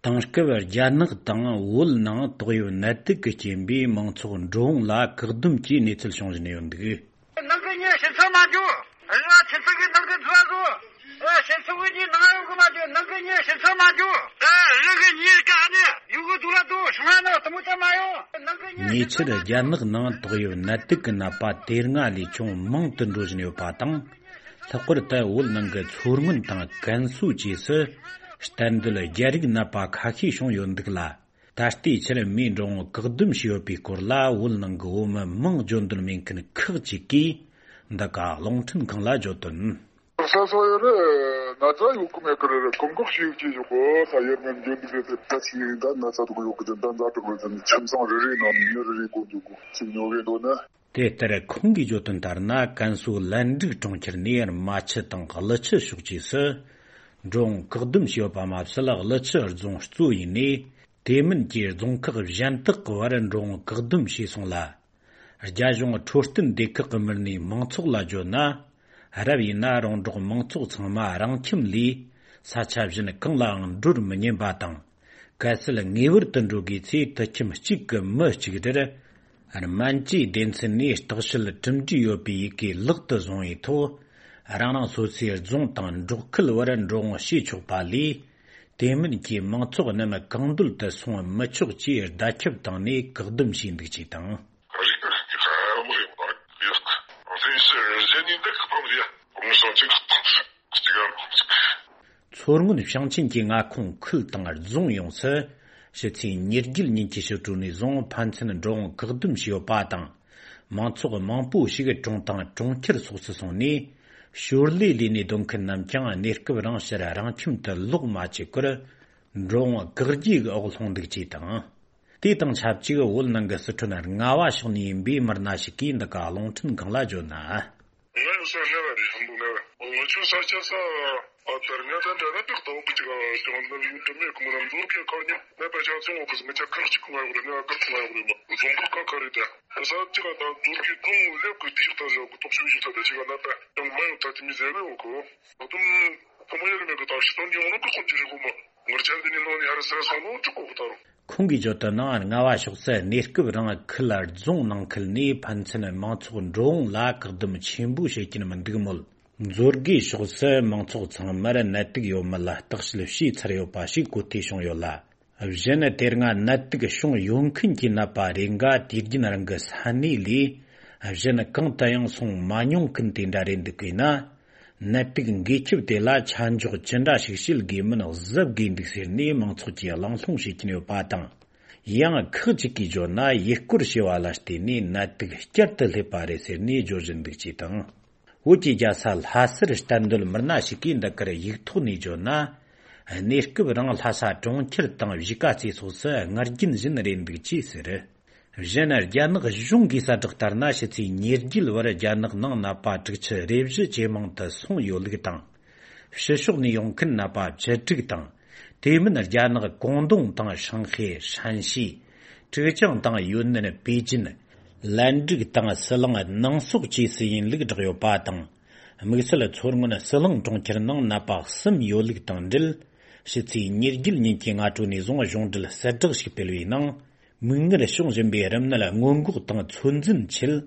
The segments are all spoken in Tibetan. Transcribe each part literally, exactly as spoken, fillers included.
དེང་སྐབས་རྒྱ་ནག་དང་བོད་ནང་ཏོག་དབྱིབས་ནད་དུག་གི་རྐྱེན་པས་མང་ཚོགས་འགྲོ་འོང་ལ་བཀག་སྡོམ་གྱི་གནས་ཚུལ་བྱུང་བཞིན་ཡོད་འདུག། ནང་གི་མྱི་ཕྱིར་ཚུར་མ་འགྲོ། རེ་བ་ཆེ་ཚུལ་གྱི་ནང་གི་འཛུལ་བ་བཟོ། ཨེ་ཕྱིར་ཚུར་གྱི་ནང་ཡོང་གི་མ་འགྲོ། ནང་གི་མྱི་ཕྱིར་ཚུར་མ་འགྲོ། ཨེ་རང་གི་མྱི་ག་ནས་ཡོང་གི་འདུག་ལ་འདུག་ཤང་ན་དུ་མོ་ཚ་མ་ཡོང་། ནང་གི་མྱི་ཉེ་ཕྱིར་རྒྱ་ནག་ནང་ཏོག་དབྱིབས་ནད་དུག་གི་ནད་པ་དེ་སྔ་ལས་ཅུང་མང་དུ་འགྲོ་བཞིན་ཡོད་པ་དང་། ལྷག་པར་དུ་བོད་ནང་གི་མཚོ་སྔོན་དང་ཀན་སུའུ་བཅས་སུ་གཏན་སྡོད་རྒྱ་རིགས་ནད་པ་ཁ་ཤས་བྱུང་ཡོད་འདུག་ལ། ད་ལྟའི་ཆར་མིའི་འགྲོ་འོང་བཀག་སྡོམ་བྱས་ཡོད་པའི་སྐོར་ལ་བོད་ནང་གི་བོད་མི་མིང་བརྗོད་འདོད་མེད་མཁན་ཁག་ཅིག་གིས་འདི་ག་རླུང་འཕྲིན་ཁང་ལ་བརྗོད་དོན། ས་ས་ཡོད་རེད། ན་ཚ་ཡོད་གི་མེད་གི་རེད། རེད་གོམ་གོག་ཤེས་ཀྱི་ཡོད་གོ་ས་ཡར་མེད་འཇོན་འདུག་རེད། དེ་ད་ཆི་ཡིན་ད་ན་ཚ་དུ་གི་ཡོད་གི་དེ་ད་ཛ་དྲག་རེད་དེ་ཁྱིམ་ཚང་རེ་རེ་ནང་མི་རེ་རེ་གོ་འདུག་གོ་ཅིག་ཉོ་གི་འདུག་ན། དེ་ལྟར་ཁོང་གིས་བརྗོད་དོན་ལྟར་ན། ཀན་སུའུ་ལན་ཀྲིག་གྲོང་ཁྱེར་ནས་རྨ་ཆུ་དང་ཀླུ་ཆུ་ཕྱོགས་བཅས་སུ་འགྲོ་འོང་བཀག་སྡོམ་བྱས་ཡོད་པ་མ་ཟད། ཀླུ་ཆུ་རྫོང་གཙོ་བོ་ཡིན་ནས། དེ་མིན་གྱི་རྫོང་ཁག་གཞན་དག་གི་བར་འགྲོ་འོང་བཀག་སྡོམ་བྱས་སོང་ལ། རྒྱ་གཞུང་འཕྲོད་བསྟེན་སྡེ་ཁག་གི་མི་སྣས་མང་ཚོགས་ལ་བརྗོད་ན། རབ་ཡིན་ན་རོང་འབྲོག་མང་ཚོགས་ཚང་མ་རང་ཁྱིམ་ལས་ས་ཆ་གཞན་གང་ལའང་འགྲོར་མི་ཉན་པ་དང་། གལ་སྲིད་ངེས་པར་དུ་འགྲོ་དགོས་ཚེ་དུད་ཁྱིམ་གཅིག་གི་མི་གཅིག་དེར་སྨན་བཅོས་སྡེ་ཚན་ནས་བརྟག་དཔྱད་གྲུབ་འབྲས་ཡོད་པའི་ཡི་གེ་ལག་ཏུ་བཟུང་བའི་ཐོག། རང་རང་སོ་སོའི་རྫོང་དང་འབྲོག་ཁུལ་བར་འགྲོ་འོང་བྱེད་ཆོག་པ་ལས། དེ་མིན་གྱི་མང་ཚོགས་རྣམས་གང་འདོད་དུ་སོང་མི་ཆོག་ཅེས་བརྡ་ཁྱབ་བཏང་ནས་བཀག་སྡོམ་བྱས་འདུག་ཅེས་དང་། རིག་པའི་རིག་པའི་ཧ་མ་ཡོང་བ་ཡོད། གཟན་ཞིག་གཟན་ནི་འདི་གི་ཐང་རེད། གོང་ས་གཅིག་གི་ཐང་རེད། གཅིག་ག་གོང་ས་གཅིག། མཚོ་སྔོན་ཞིང་ཆེན་གྱི་མངའ་ཁོངས་ཁུལ་དང་རྫོང་ཡོངས་སུ་ཕྱི་ཚེས་ཉེར་བརྒྱད་ཉིན་གྱི་ཕྱི་དྲོ་ནས་བཟུང་ཕན་ཚུན་འགྲོ་འོང་བཀག་སྡོམ་བྱས་ཡོད་པ་དང་། མང་ཚོགས་མང་པོ་ཞིག་གྲོང་དང་གྲོང་ཁྱེར་སོགས་སུ་སོང་ནས། ཞོར་ལས་ལས་ནས་སྡོད་མཁན་རྣམས་ཀྱང་གནས་སྐབས་རིང་ཕྱིར་རང་ཁྱིམ་དུ་ལོག་མ་བཅུག་པར། འགྲོ་འོང་བཀག་རྒྱའི་འོག་ལྷུང་འདུག་ཅེས་དང་། དེ་དང་ཆབས་ཅིག་བོད་ནང་གི་སི་ཁྲོན་རྔ་བ་ཕྱོགས་ནས་ཡིན་པའི་མི་སྣ་ཞིག་གིས་འདི་ག་རླུང་འཕྲིན་ཁང་ལ་བརྗོད་ན། ང་ཡོད་ས་རྔ་བ་རེད། ཧམ་པོ་རྔ་བ། ང་ཆོ་ས་ཆ་ས་ཨ་ད་རྔ་ད་འདྲ་ན་ཏག་ཏག་གི་ཅིག་ཨ་ཞང་ད་ཡུལ་དུ་མེད་གི་མོ་ན་མཛོར་གི་ཁ་ཉིན་ནད་པ་ཆ་ཚང་འོག་གི་ང་ཆ་ཁག་ཅིག་ང་ཡོད་རེད། ནད་པ་ཁག་ང་ཡོད་རེད། མ་རྫོང་ཁོ་ཁ་ཁ་རེད། ད་ས་ཅིག་ཨ་ད་མཛོར་གི་ཀུང་ལེབ་གི་ཏི་ཞིག་ད་ཞོག་གི་ཏོག་ཞུ་ཞིག་ད་ད་ཅིག་ཨ་ནད་པ་ཡང་མ་ཡོད། ད་དེ་མི་ཟེར་བའི་འོག་གི་ད་དུང་ཁོ་མ་ཡོད་རེད། མེད་གི་ད་ཤི་སྟོན་གི་འོ་ན་ཀི་ཁོ་ཅི་རེད་གོ་མ་ངར་ཆ་འདི་ནི་ནང་ནས་ཧ་ར་སེ་ར་སོང་ནོ་ཅི་གོ་གི་ད་རུང་། ཁོང་གིས་བརྗོད་དོན་ནང་། རྔ་བ་ཕྱོགས་སུ་གནས་སྐབས་རིང་ཁུལ་རྫོང་ནང་ཁུལ་ནས་ཕན་ཚུན་མང་ཚོགས་འགྲོ་འོང་ལ་བཀག་སྡོམ་ཆེན་པོ་བྱེད་ཀྱིན་མི་འདུག་མོད། མཛོར་དགེ་ཕྱོགས་སུ་མང་ཚོགས་ཚང་མར་ནད་དུག་ཡོད་མེད་ལ་བརྟག་དཔྱད་བྱས་ཚར་ཡོད་པ་ཞིག་གོ་ཐོས་བྱུང་ཡོད་ལ། གཞན་དེ་སྔ་ནད་དུག་བྱུང་ཡོད་མཁན་གྱི་ནད་པ་རེ་འགའ་དུས་རྒྱུན་རང་གི་ས་གནས་ལས་གཞན་གང་དུ་ཡང་སོང་མ་མྱོང་མཁན་དེ་འདྲ་རེད་འདུག་གས་ན། ནད་དུག་འགོས་ཁྱབ་དེ་ལ་ཆ་འཇོག་ཅི་འདྲ་ཞིག་བྱེད་དགོས་མིན་གཟབ་དགོས་འདུག་ཟེར་ནས་མང་ཚོགས་ཀྱིས་གླེང་སློང་བྱེད་ཀྱིན་ཡོད་པ་དང་། ཡང་ཁག་ཅིག་གིས་བརྗོད་ན་ཡུལ་སྐོར་བྱས་པ་ལ་བརྟེན་ནས་ནད་དུག་བསྐྱར་དུ་སླེབས་པ་རེད་ཟེར་ནས་བརྗོད་བཞིན་འདུག་ཅེས་དང་། བོད་ཀྱི་རྒྱལ་ས་ལྷ་སར་གཏན་སྡོད་མི་སྣ་ཞིག་གིས་འདི་གར་ཡིག་ཐོག་ནས་བརྗོད་ན། གནས་སྐབས་རིང་ལྷ་ས་གྲོང་ཁྱེར་དང་གཞིས་ཀ་རྩེ་སོགས་སུ་སྔར་རྒྱུན་བཞིན་རེད་འདུག་ཅེས་ཟེར། གཞན་རྒྱ་ནག་གཞུང་གིས་གསལ་བསྒྲགས་ལྟར་ན། ཕྱི་ཚེས་ཉེར་བརྒྱད་བར་རྒྱ་ནག་ནང་ནད་པ་དྲུག་ཅུ་རེ་བཞི་ཇེ་མང་དུ་སོང་ཡོད་ལུགས་དང་། ཕྱི་ཕྱོགས་ནས་ཡོང་མཁན་ནད་པ་བཅུ་དྲུག་དང་། དེ་མིན་རྒྱ་ནག་ཀོང་ཏུང་དང་ཧྲང་ཧའེ། ཧྲན་ཞི། ཀྲིག་ཅང་དང་ཡུན་ནན། པེ་ཅིན། ལན་ཀྲིག་དང་ཟི་ལིང་། ནང་སོག་བཅས་སུ་ཡིན་ལུགས་བསྒྲགས་ཡོད་པ་དང་། དམིགས་བསལ་མཚོ་སྔོན་ཟི་ལིང་གྲོང་ཁྱེར་ནང་ནད་པ་གསུམ་ཡོད་ལུགས་དང་འབྲེལ། ཕྱི་ཚེས་ཉེར་བརྒྱད་ཉིན་གྱི་སྔ་དྲོ་ནས་བཟུང་གཞུང་འབྲེལ་གསལ་བསྒྲགས་ཤིག་སྤེལ་བའི་ནང་། མིག་སྔར་བྱུང་བཞིན་པའི་རིམས་ནད་སྔོན་འགོག་དང་ཚོད་འཛིན་ཆེད།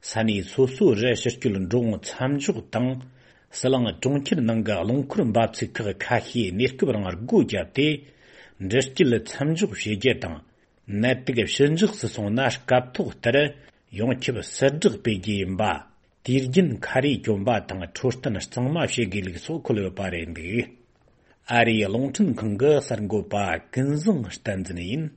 ས་གནས་སོ་སོ་རུ་ཕྱི་སྐྱོད་འགྲོ་འོང་མཚམས་འཇོག་དང་། ཟི་ལིང་གྲོང་ཁྱེར་ནང་གི་རླངས་འཁོར་འབབ་ཚིགས་ཁག་ཁ་ཤས་གནས་སྐབས་རིང་སྒོ་བརྒྱབ་སྟེ། འགྲུལ་སྐྱེལ་མཚམས་འཇོག་བྱེད་རྒྱུ་དང་། ནད་དུག་ཕྱི་འཇགས་སུ་སོང་ན་སྐབས་ཐོག་ལྟར་ཡོངས་ཁྱབ་གསལ་བསྒྲགས་སྤེལ་རྒྱུ་ཡིན་པ། དུས་རྒྱུན་ཁ་རས་གྱོན་པ་དང་འཕྲོད་བསྟེན་གཙང་མ་བྱེད་དགོས་ལུགས་སོགས་འཁོད་ཡོད་པ་རེད་འདུག། ཨ་རིའི་རླུང་འཕྲིན་ཁང་གི་གསར་འགོད་པ་ཀུན་བཟང་བསྟན་འཛིན་ཡིན།